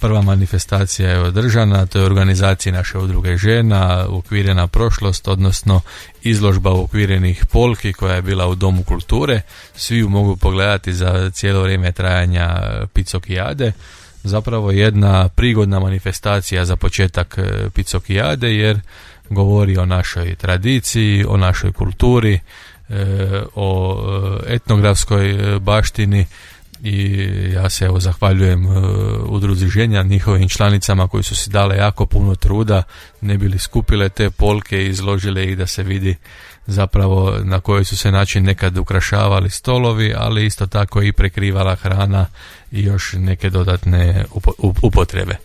Prva manifestacija je održana, to je organizacija naše udruge žena, Uokvirena prošlost, odnosno izložba uokvirenih polki koja je bila u Domu kulture. Svi ju mogu pogledati za cijelo vrijeme trajanja Picokijade. Zapravo jedna prigodna manifestacija za početak Picokijade, jer govori o našoj tradiciji, o našoj kulturi, o etnografskoj baštini. I ja se zahvaljujem udruzi ženja, njihovim članicama koji su si dale jako puno truda, ne bili skupile te polke i izložile ih da se vidi zapravo na koji su se način nekad ukrašavali stolovi, ali isto tako i prekrivala hrana i još neke dodatne upotrebe.